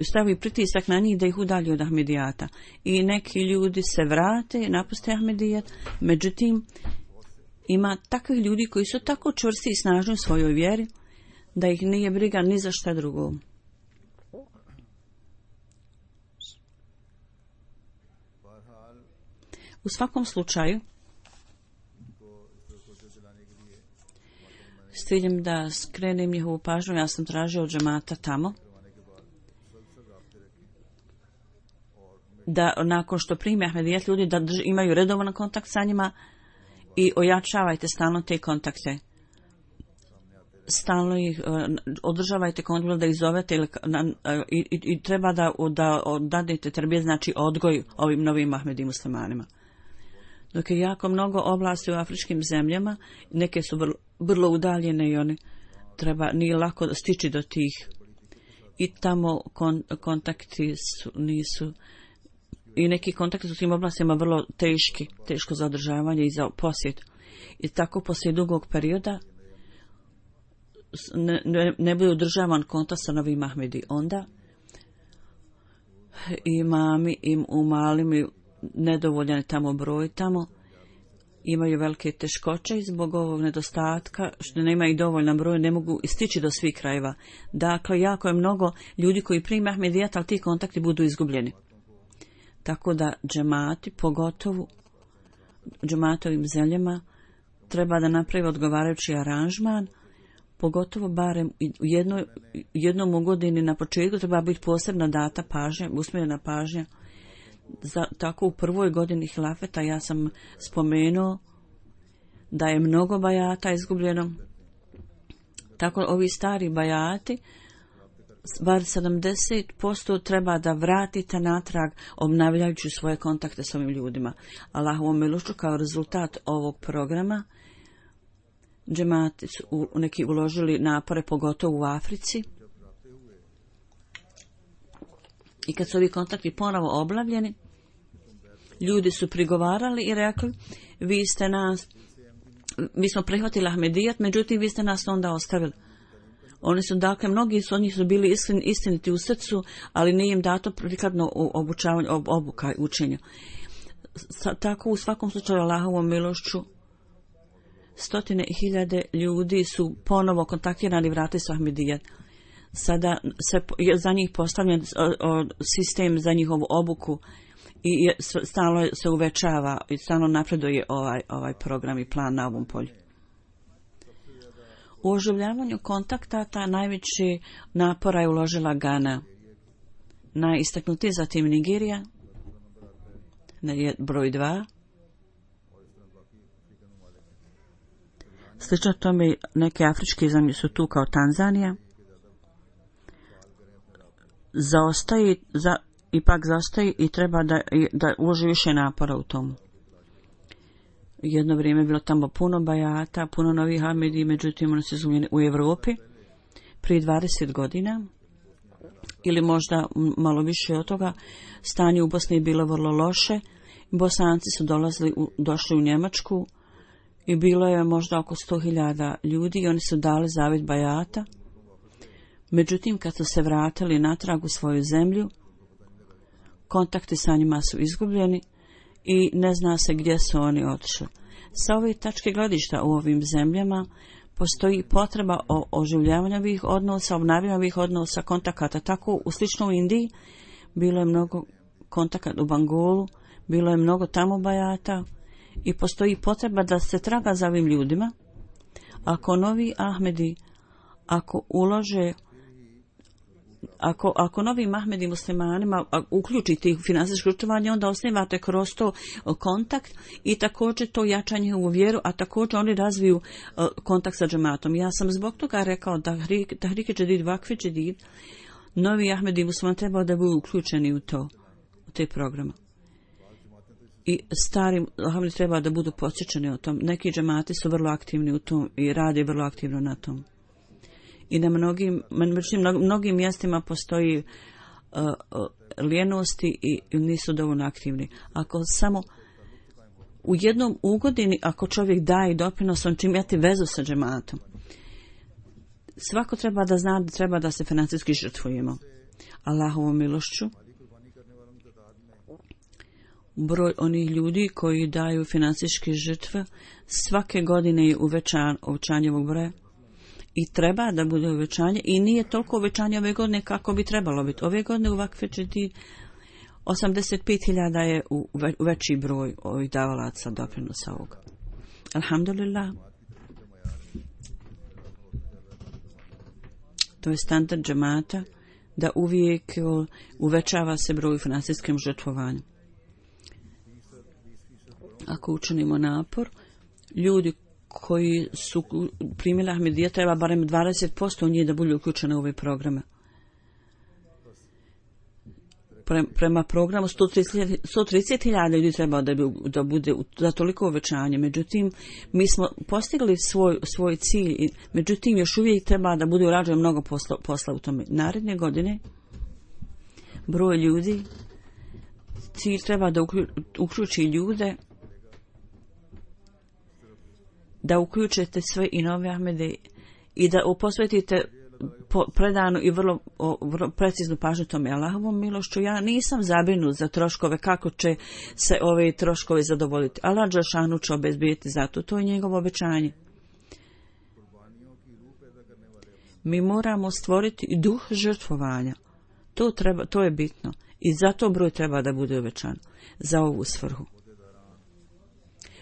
stavi pritisak na njih da ih udalji od Ahmedijata. I neki ljudi se vrate, napuste Ahmedijat, međutim ima takvih ljudi koji su tako čvrsti i snažni u svojoj vjeri da ih nije briga ni za šta drugo. U svakom slučaju, s ciljem da skrenem njihovu pažnju, ja sam tražio od džemata tamo da nakon što prime Ahmedijat ljudi da imaju redovan kontakt sa njima i ojačavajte stalno te kontakte. Stalno ih održavajte kontakt, da ih zovete i treba da dadete terbijet, znači odgoj ovim novim Ahmedi muslimanima. Dok je jako mnogo oblasti u afričkim zemljama, neke su vrlo udaljene i oni nije lako stići do tih. I tamo kontakti nisu, i neki kontakti su u tim oblastima vrlo teško za održavanje i za posjet. I tako poslije dugog perioda ne bude održavan kontakt sa novim Ahmedi. Onda imami u malim nedovoljan tamo broj tamo imaju velike teškoće i zbog ovog nedostatka što nemaju dovoljan broj ne mogu stići do svih krajeva. Dakle, jako je mnogo ljudi koji prime Ahmedijat, ali ti kontakti budu izgubljeni. Tako da džemati, pogotovo džematovim zemljama, treba da napravi odgovarajući aranžman, pogotovo barem jednom u godini na početku treba biti posebna data pažnja, usmjerena pažnja. Tako u prvoj godini hilafeta ja sam spomenuo da je mnogo bajata izgubljeno. Tako ovi stari bajati, bar 70% treba da vratite natrag obnavljajući svoje kontakte s ovim ljudima. Allahovom milošću kao rezultat ovog programa džemati su neki uložili napore, pogotovo u Africi. I kad su ovi kontakti ponovo oblavljeni, ljudi su prigovarali i rekli, mi smo prihvatili Ahmedijat, međutim vi ste nas onda ostavili. Oni su, dakle, mnogi od njih su bili istiniti u srcu, ali nije im dato prikladno obučavanje, obuka i učenja. Tako u svakom slučaju Allahovom milošću 100.000 ljudi su ponovo kontaktirani i vratili su Ahmedijat. Sada je za njih postavljen sistem za njihovu obuku i stalno se uvećava i stalno napreduje ovaj program i plan na ovom polju. U oživljavanju kontaktata najveći napora je uložila Gana. Najistaknutiji zatim Nigerija, broj 2. Slično tome neke afričke zemlje su tu kao Tanzanija. Ipak zaostaje i treba da uloži više napora u tomu. Jedno vrijeme je bilo tamo puno bajata, puno novih Ahmedi, međutim oni su izgubljeni u Europi prije 20 godina ili možda malo više od toga. Stanje u Bosni je bilo vrlo loše. Bosanci su došli u Njemačku i bilo je možda oko 100.000 ljudi i oni su dali zavjet bajata. Međutim, kad su se vratili natrag u svoju zemlju, kontakti sa njima su izgubljeni i ne zna se gdje su oni otišli. Sa ove tačke gledišta u ovim zemljama postoji potreba o oživljavanju ovih odnosa, obnavljanju ovih odnosa, kontakata. Tako u slično u Indiji bilo je mnogo kontakata, u Bangolu bilo je mnogo tamo bajata i postoji potreba da se traga za ovim ljudima. Ako novi Ahmedi, ako ulože, ako novim Ahmedi muslimanima uključite ih u finansijsko učestvovanje, onda osnivate kroz to kontakt i također to jačanje u vjeru, a također oni razviju kontakt sa džematom. Ja sam zbog toga rekao da Tahrike Džedid, Vakfe Džedid, novi Ahmedi muslimani trebao da budu uključeni u te programe. I stari Ahmedi treba da budu podsjećani o tom. Neki džemati su vrlo aktivni u tom i rade vrlo aktivno na tom. I na mnogim mjestima postoji lijenosti i nisu dovoljno aktivni. Ako samo u jednom ugodini, ako čovjek daje doprinos, on će imati vezu sa džematom. Svako treba da zna da treba da se financijski žrtvujemo. Allahovom milošću, broj onih ljudi koji daju financijske žrtve svake godine je uvećanje ovog broja. I treba da bude uvećanje i nije toliko uvećanje ove godine kako bi trebalo biti. Ove godine u Vakfe Džedid 85.000 je veći broj ovih davalaca doprinosa ovog. Alhamdulillah. To je standard džemata da uvijek uvećava se broj financijskim žrtvovanjem. Ako učinimo napor, ljudi koji su primili Ahmedija treba barem 20% njih da budu uključene u ove programe. Prema programu 130.000 ljudi treba da bude za toliko uvećanje. Međutim, mi smo postigli svoj cilj, međutim još uvijek treba da bude urađeno mnogo posla u tome. Naredne godine broj ljudi, cilj treba da uključi ljude, da uključite sve i nove Ahmede i da posvetite predanu i vrlo preciznu pažnju tome. Allahovom milošću ja nisam zabrinut za troškove, kako će se ove troškove zadovoljiti. Allah dželešanu će obezbijeti zato, to je njegovo obećanje. Mi moramo stvoriti duh žrtvovanja. To je bitno i zato broj treba da bude uvećan za ovu svrhu.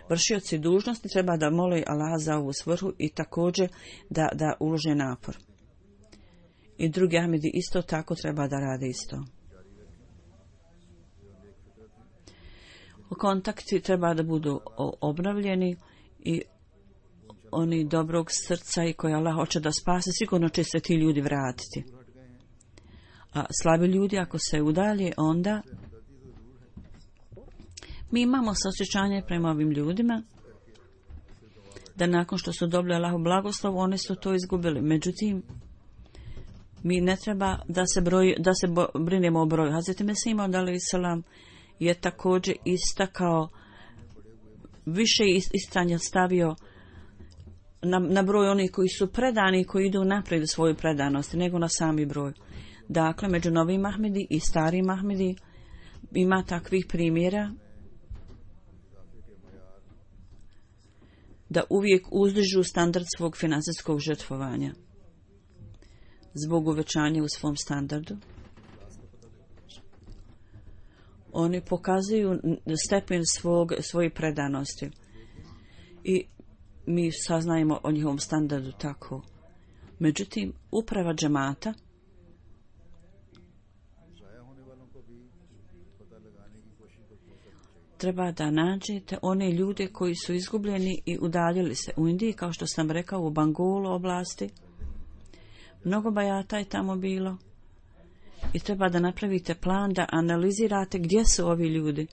Vršioci dužnosti treba da mole Allah za ovu svrhu i također da ulože napor. I drugi Ahmedi isto tako treba da rade isto. Kontakti treba da budu obnovljeni i oni dobrog srca i koji Allah hoće da spase, sigurno će se ti ljudi vratiti. A slabi ljudi ako se udalje, onda mi imamo saosjećanje prema ovim ljudima da nakon što su dobili Allahov blagoslov, oni su to izgubili. Međutim, mi ne treba da se brinemo o broju. Hazreti Mesih Maud alejselam je također istakao, više istanja stavio na broj onih koji su predani i koji idu naprijed u svoju predanost, nego na sami broj. Dakle, među novim Ahmedi i starim Ahmedi ima takvih primjera da uvijek uzdižu standard svog financijskog žrtvovanja zbog uvećanja u svom standardu. Oni pokazuju stepen svoje predanosti i mi saznajemo o njihovom standardu tako. Međutim, uprava džemata treba da nađete one ljude koji su izgubljeni i udaljili se. U Indiji, kao što sam rekao, u Bangolu oblasti, mnogo bajata je tamo bilo i treba da napravite plan, da analizirate gdje su ovi ljudi.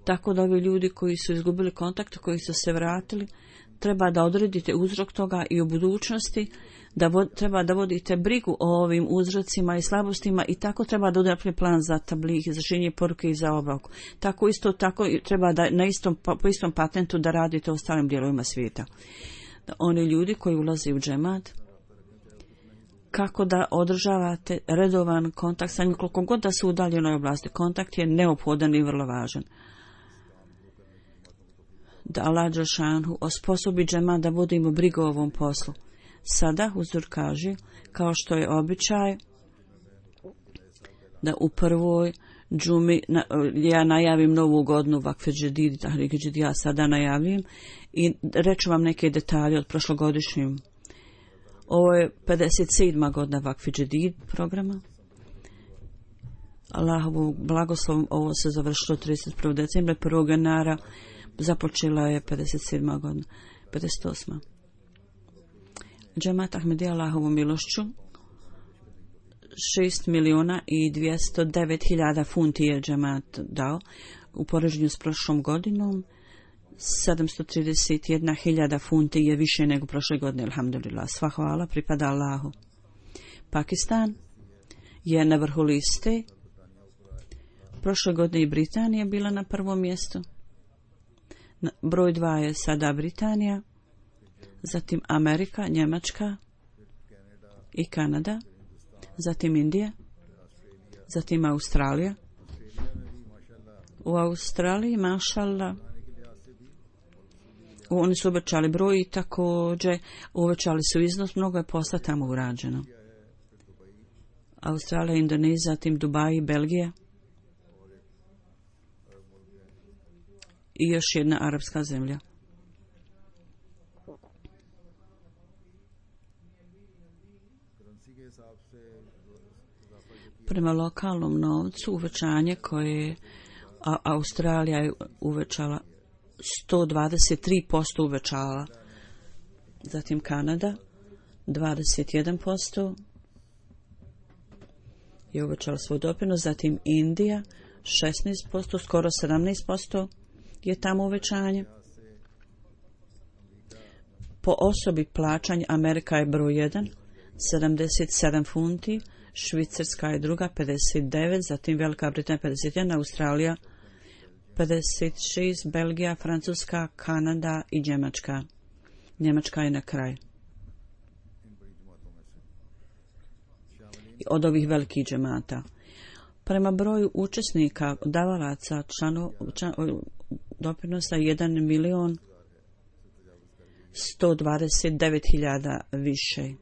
Tako da ovi ljudi koji su izgubili kontakt, koji su se vratili, treba da odredite uzrok toga i u budućnosti, treba da vodite brigu o ovim uzrocima i slabostima i tako treba da odredite plan za tabligh, za širenje poruke i za obavku. Tako treba da po istom patentu da radite u ostalim dijelovima svijeta. Da oni ljudi koji ulaze u džemat, kako da održavate redovan kontakt sa njim, koliko god da su u udaljenoj oblasti. Kontakt je neophodan i vrlo važan. Da Allah dželešanu osposobi džemat da vodimo brigu o ovom poslu. Sada Huzur kaže, kao što je običaj, da u prvoj džumi ja najavim novu godinu Vakfe Džedid, ja sada najavim i reću vam neke detalje od prošlogodišnjim. Ovo je 57. godina Vakfe Džedid programa. Allahovu blagoslovom ovo se završilo 31. decembra, 1. januara započela je 57. godina, 58. Džemat Ahmedija Allahovu milošću 6.209.000 funti je džemat dao u poređenju s prošlom godinom. 731.000 funti je više nego prošle godine, alhamdulillah. Sva hvala pripada Allahu. Pakistan je na vrhu liste. Prošle godine i Britanija bila na prvom mjestu. Broj 2 je sada Britanija, zatim Amerika, Njemačka i Kanada, zatim Indija, zatim Australija. U Australiji, mašallah, oni su uvećali broj i također uvećali su iznos, mnogo je posla tamo urađeno. Australija, Indonezija, zatim Dubai, Belgija i još jedna arapska zemlja. Prema lokalnom novcu uvećanje koje Australija je uvećala 123% uvećala, zatim Kanada 21% je uvećala svoj doprinos, zatim Indija 16%, skoro 17% je tamo uvećanje. Po osobi plaćanja Amerika je broj 1, 77 funti, Švicarska je druga 59, zatim Velika Britanija 51, Australija 56, Belgija, Francuska, Kanada i Njemačka. Njemačka je na kraj. Od ovih velikih džemata. Prema broju učesnika, davalaca, doprinosa 1.129.000 više.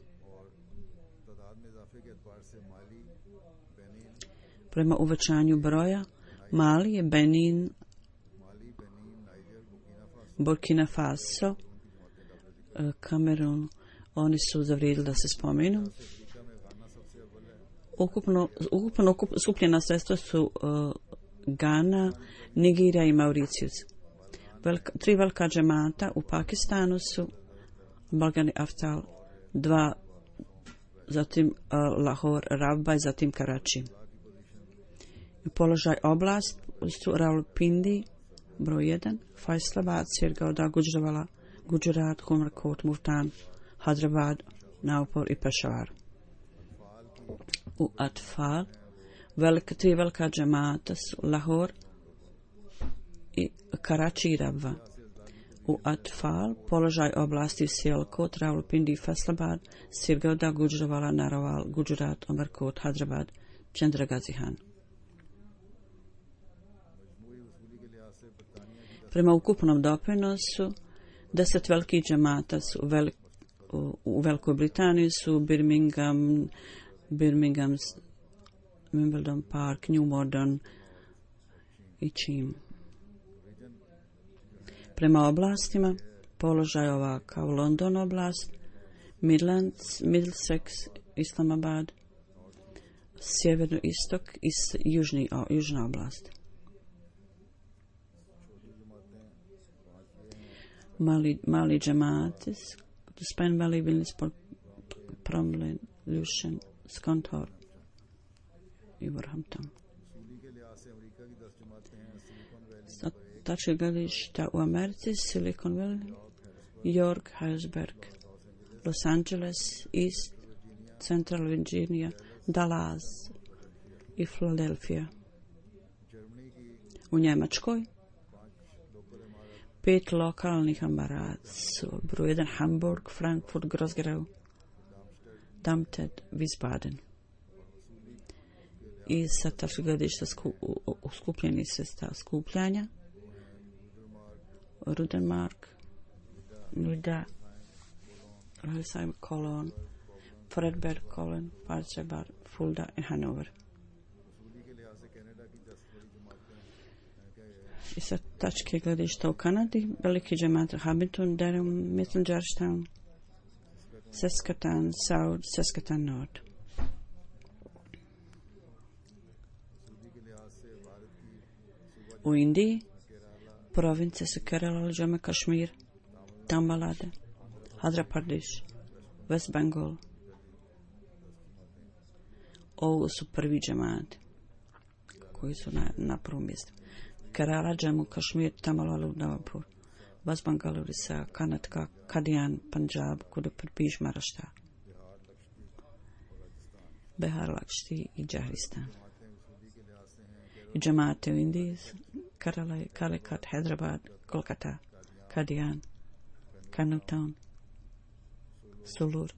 Prema uvećanju broja, Mali, Benin, Burkina Faso, Kamerun, oni su zavrijedili da se spomenu. Ukupno skupljena sredstva su Gana, Nigerija i Mauricijus. Tri velika džemata u Pakistanu su Balgani Aftal, 2, zatim Lahore, Rabaj, zatim Karači. Položaj oblast su Rawalpindi, broj 1, Faisalabad, Sirgauda, Gujranwala, Gujarat, Umerkot, Multan, Hyderabad, Nagpur i Peshawar. U Atfal, tri velika džemata su Lahore i Karači i Rabva. U Atfal, položaj oblasti Sialkot, Rawalpindi, Faisalabad, Sirgauda, Gujranwala, Narwal, Gujarat, Umerkot, Hyderabad, Chandragazihan. Prema ukupnom doprinosu, 10 velikih džemata su u Velikoj Britaniji su Birmingham, Wimbledon Park, New Modern i Čim. Prema oblastima, položaj ovakav: London oblast, Midlands, Middlesex, Islamabad, sjeverno-istok i južna oblast. Mali džemati, Span Valley, Williamsport, Cromlin, Lucian, Scunthorpe i Wolverhampton. Sa tačke gledišta u Americi, Silicon Valley, York, Harrisburg, Los Angeles, East, Central Virginia, Dallas i Philadelphia. U Njemačkoj 5 lokalnih ambara su broj 1 Hamburg, Frankfurt, Groß-Gerau, Darmstadt, Wiesbaden. I sa tačke gledišta skupljeni sredstava skupljanja Rudermark, Nida, Hildesheim, Cologne, Fredberg, Cologne, Parchebar, Fulda i Hannover. I sa tačke gledišta u Kanadi, veliki džemat Hamilton, Durham, Milton, Georgetown, Saskatoon South, Saskatoon North. U Indiji provincije su Kerala, Jammu Kashmir, Tamil Nadu, Andhra Pradesh, West Bengal. Ovo su prvi džemati koji su na prvom mjestu. Kerala, Jammu Kashmir, Tamil Nadu, Navapur, West Bengal, Orissa, Karnataka, Kadian, Punjab, Kudu Pradesh, Maharashtra, Bihar, Lakshti i Jharkhand. I džemate u Indiji, Kerala, Calicut, Hyderabad, Kolkata, Kadian, Karnataka, Sulur,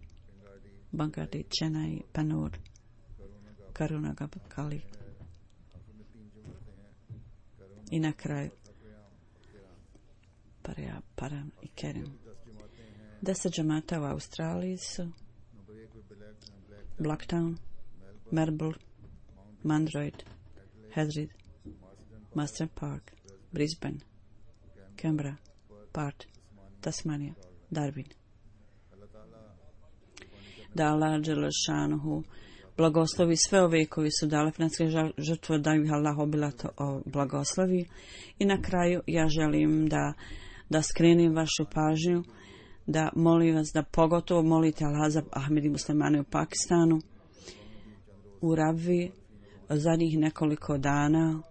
Bangadi, Chennai, Pannur, Karunagapalli. I na kraju Param i Kerim. 10 džemata u Australiji su Blacktown, Melbourne, Mandroid, Hadrid, Master Park, Brisbane, Canberra, Perth, Tasmania, Darwin. Da Allah Đelešanuhu blagoslovi sve ove koji su dali financijske žrtve, da ih Allah obilato blagoslovi. I na kraju ja želim da skrenem vašu pažnju, da molim vas da pogotovo molite Allah za Ahmedi muslimane u Pakistanu, u Rabvi. Zadnjih nekoliko dana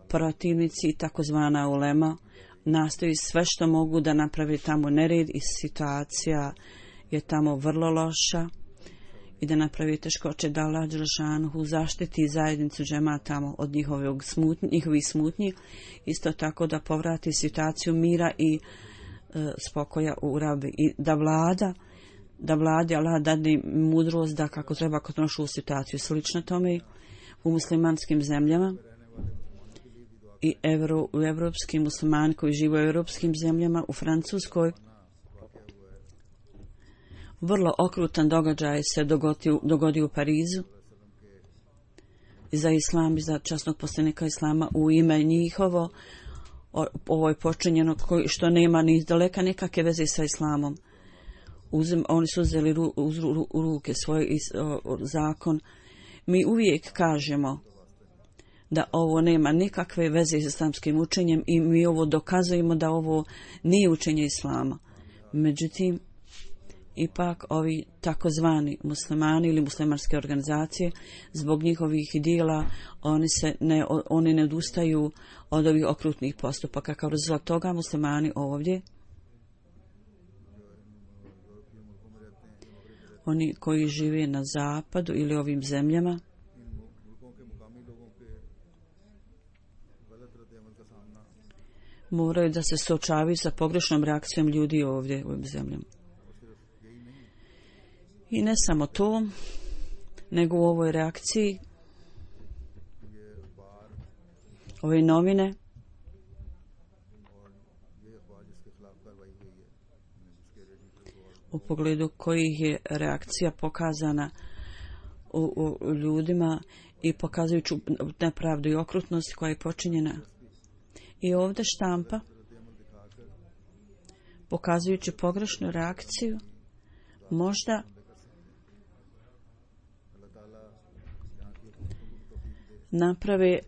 protivnici i takozvana ulema nastoji sve što mogu da napravi tamo nered i situacija je tamo vrlo loša i da napravi teškoće, da Allah Đelešanuhu zaštiti zajednicu džemata tamo od njihovih smutnji, isto tako da povrati situaciju mira i spokoja u Rabbi i da vladi Allah dadne mudrost da kako treba kontrolišu situaciju. Slično tome u muslimanskim zemljama i u evropskim muslimani koji žive u evropskim zemljama, u Francuskoj. Vrlo okrutan događaj se dogodio u Parizu i za islam i za časnog poslanika islama u ime njihovo. Ovo je počinjeno što nema ni daleka nekakve veze sa islamom. Oni su uzeli u ruke svoj zakon. Mi uvijek kažemo da ovo nema nikakve veze s islamskim učenjem i mi ovo dokazujemo da ovo nije učenje islama. Međutim, ipak ovi takozvani muslimani ili muslimanske organizacije zbog njihovih dijela oni ne odustaju od ovih okrutnih postupaka. Kao rezultat toga muslimani ovdje, oni koji žive na zapadu ili ovim zemljama, moraju da se suočavaju sa pogrešnom reakcijom ljudi ovdje u ovim zemljama. I ne samo to, nego u ovoj reakciji ove novine u pogledu kojih je reakcija pokazana u ljudima i pokazujući nepravdu i okrutnost koja je počinjena. I ovdje štampa pokazujući pogrešnu reakciju možda naprave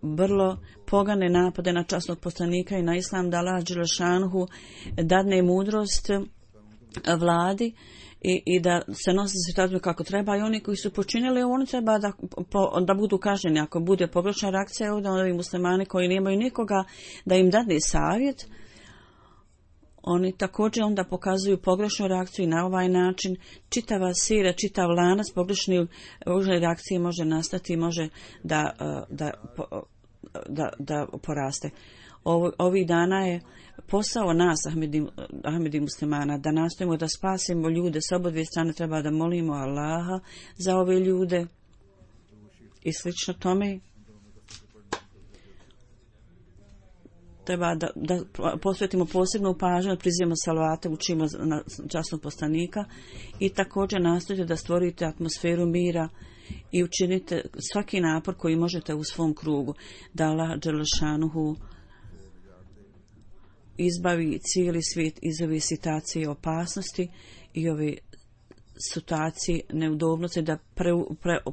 vrlo pogane napade na časnog poslanika i na islam, da Allah dželešanuhu dadne mudrost vladi i da se nosi situaciju kako treba, i oni koji su počinili, oni treba da budu kažnjeni. Ako bude pogrešna reakcija, onda ovi muslimani koji nemaju nikoga da im dadne savjet, oni također onda pokazuju pogrešnu reakciju i na ovaj način čitava sira, čitav lanac pogrešne reakcije može nastati i može da poraste. Ovih dana je posao nas, Ahmedi muslimana, da nastojimo da spasimo ljude s obodve strane. Treba da molimo Allaha za ove ljude i slično tome. Treba da posvetimo posebnu pažnju, prizivamo salavate, učimo na časnog poslanika i također nastojite da stvorite atmosferu mira i učinite svaki napor koji možete u svom krugu, da Allah dželešanuhu izbavi cijeli svijet iz ove situacije opasnosti i ove situacije neudobnosti, da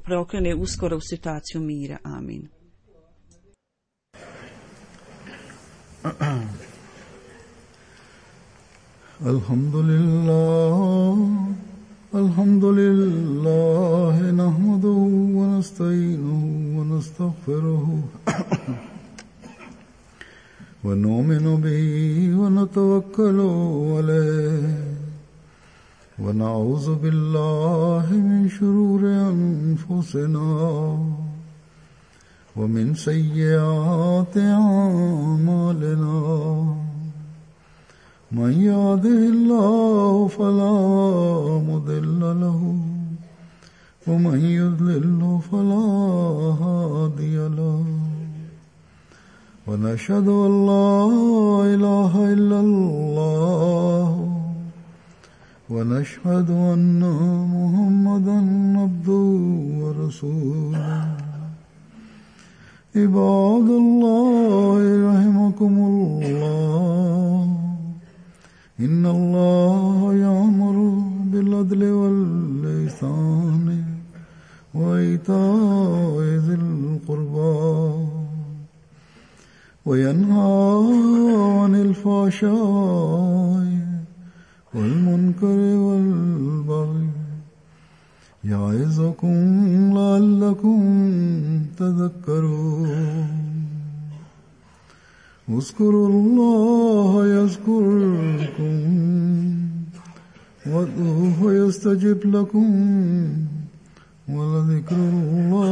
preokrene uskoro u situaciju mira. Amin. Alhamdulillah, nahmaduhu wa nasta'inuhu wa nastaghfiruhu wa nu'minu bihi wa natawakkalu alayhi wa na'udhu billahi min shururi anfusina ومن سيئات أعمالنا من يهده الله فلا مضل له ومن يضلل فلا هادي له ونشهد أن لا إله إلا الله ونشهد أن محمدا عبده ورسوله عباد الله رحمكم الله إن الله يأمر بالعدل والإحسان وإيتاء ذي القربى وينهى عن الفحشاء والمنكر والبغي يعظكم لعلكم تذكرون اذكروا الله يذكركم وادعوه يستجب لكم ولذكر الله